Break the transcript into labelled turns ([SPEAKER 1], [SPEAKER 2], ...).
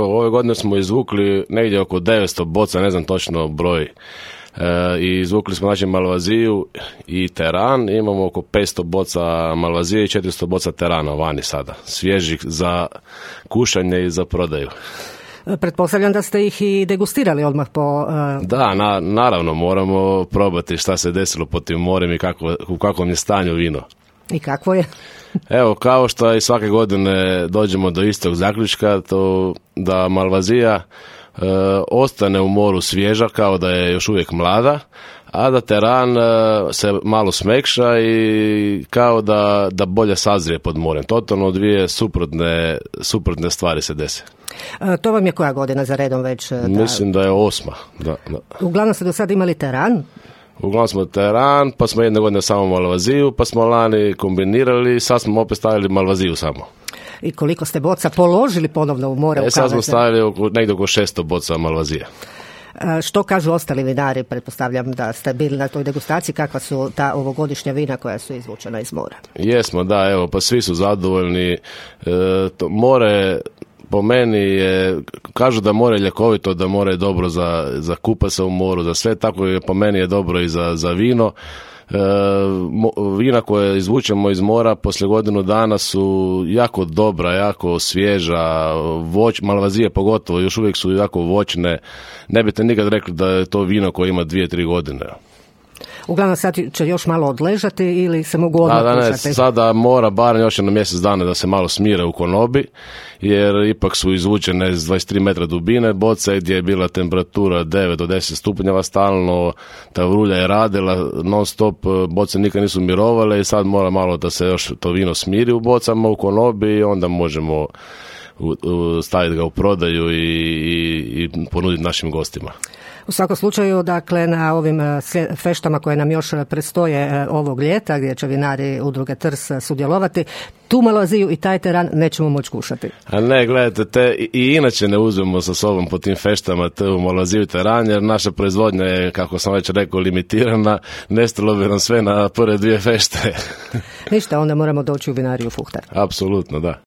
[SPEAKER 1] Ove godine smo izvukli negdje oko 900 boca, ne znam točno broj. I izvukli smo znači malvaziju i teran, imamo oko 500 boca malvazije i 400 boca terana vani sada, svježih za kušanje i za prodaju.
[SPEAKER 2] Pretpostavljam da ste ih i degustirali odmah po...
[SPEAKER 1] Da, naravno, moramo probati šta se desilo pod tim morem i u kakvom je stanju vino.
[SPEAKER 2] I kakvo je?
[SPEAKER 1] Evo, kao što i svake godine dođemo do istog zaključka, to da malvazija ostane u moru svježa kao da je još uvijek mlada, a da teran se malo smekša i kao da bolje sazrije pod morem. Totalno dvije suprotne stvari se dese.
[SPEAKER 2] To vam je koja godina za redom već?
[SPEAKER 1] Mislim da je 8. Da.
[SPEAKER 2] Uglavnom ste do sada imali teran?
[SPEAKER 1] Uglavnom smo teran, pa smo jedne godine samo malvaziju, pa smo lani kombinirali, sad smo opet stavili malvaziju samo.
[SPEAKER 2] I koliko ste boca položili ponovno u more?
[SPEAKER 1] Sad smo stavili negdje oko 600 boca malvazije.
[SPEAKER 2] Što kažu ostali vinari? Pretpostavljam da ste bili na toj degustaciji. Kakva su ta ovogodišnja vina koja su izvučena iz mora? Jesmo,
[SPEAKER 1] da, evo, pa svi su zadovoljni. More po meni je, kažu da more je ljekovito, da more je dobro za kupa se u moru, za sve, tako je po meni je dobro i za vino. Vina koje izvučemo iz mora poslije godinu dana su jako dobra, jako svježa, malvazije pogotovo, još uvijek su jako voćne. Ne biste nikad rekli da je to vino koje ima 2-3 godine.
[SPEAKER 2] Uglavnom sad će još malo odležati ili se mogu odmah kušati?
[SPEAKER 1] Sada mora barem još na mjesec dana da se malo smire u konobi, jer ipak su izvučene iz 23 metra dubine boce gdje je bila temperatura 9 do 10 stupnjeva stalno, ta vrulja je radila non stop, boce nikad nisu mirovale i sad mora malo da se još to vino smiri u bocama u konobi i onda možemo staviti ga u prodaju i ponuditi našim gostima.
[SPEAKER 2] U svakom slučaju, dakle, na ovim feštama koje nam još predstoje ovog ljeta, gdje će vinari udruge Trs sudjelovati, tu malvaziju i taj teran nećemo moći kušati. A
[SPEAKER 1] ne, gledajte, i inače ne uzmemo sa sobom po tim feštama tu malvaziju i teran, jer naša proizvodnja je, kako sam već rekao, limitirana, nestalo bi nam sve na prve 2 fešte.
[SPEAKER 2] Ništa, onda moramo doći u vinariju Fuhtar.
[SPEAKER 1] Apsolutno, da.